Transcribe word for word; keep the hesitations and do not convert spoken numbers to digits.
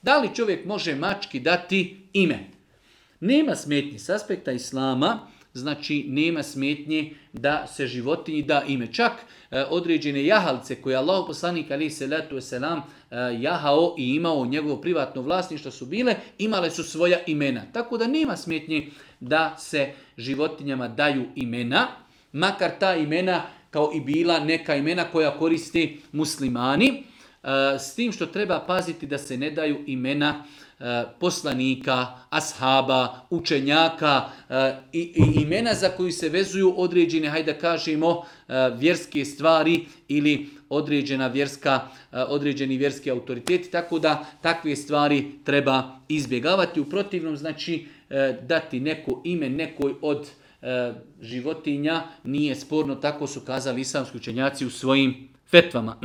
Da li čovjek može mački dati ime? Nema smetnji s aspekta islama, znači nema smetnje da se životinji da ime. Čak e, određene jahalce koje Allah poslanik alejhi selatu vesselam e, jahao i imao njegovo privatno vlasništvo su bile, imale su svoja imena. Tako da nema smetnje da se životinjama daju imena, makar ta imena kao i bila neka imena koja koriste muslimani, e, s tim što treba paziti da se ne daju imena poslanika, ashaba, učenjaka i, i imena za koju se vezuju određene, hajde da kažemo, vjerske stvari ili određena vjerska, određeni vjerski autoriteti, tako da takve stvari treba izbjegavati. U protivnom, znači, dati neko ime nekoj od životinja nije sporno, tako su kazali islamski učenjaci u svojim fetvama.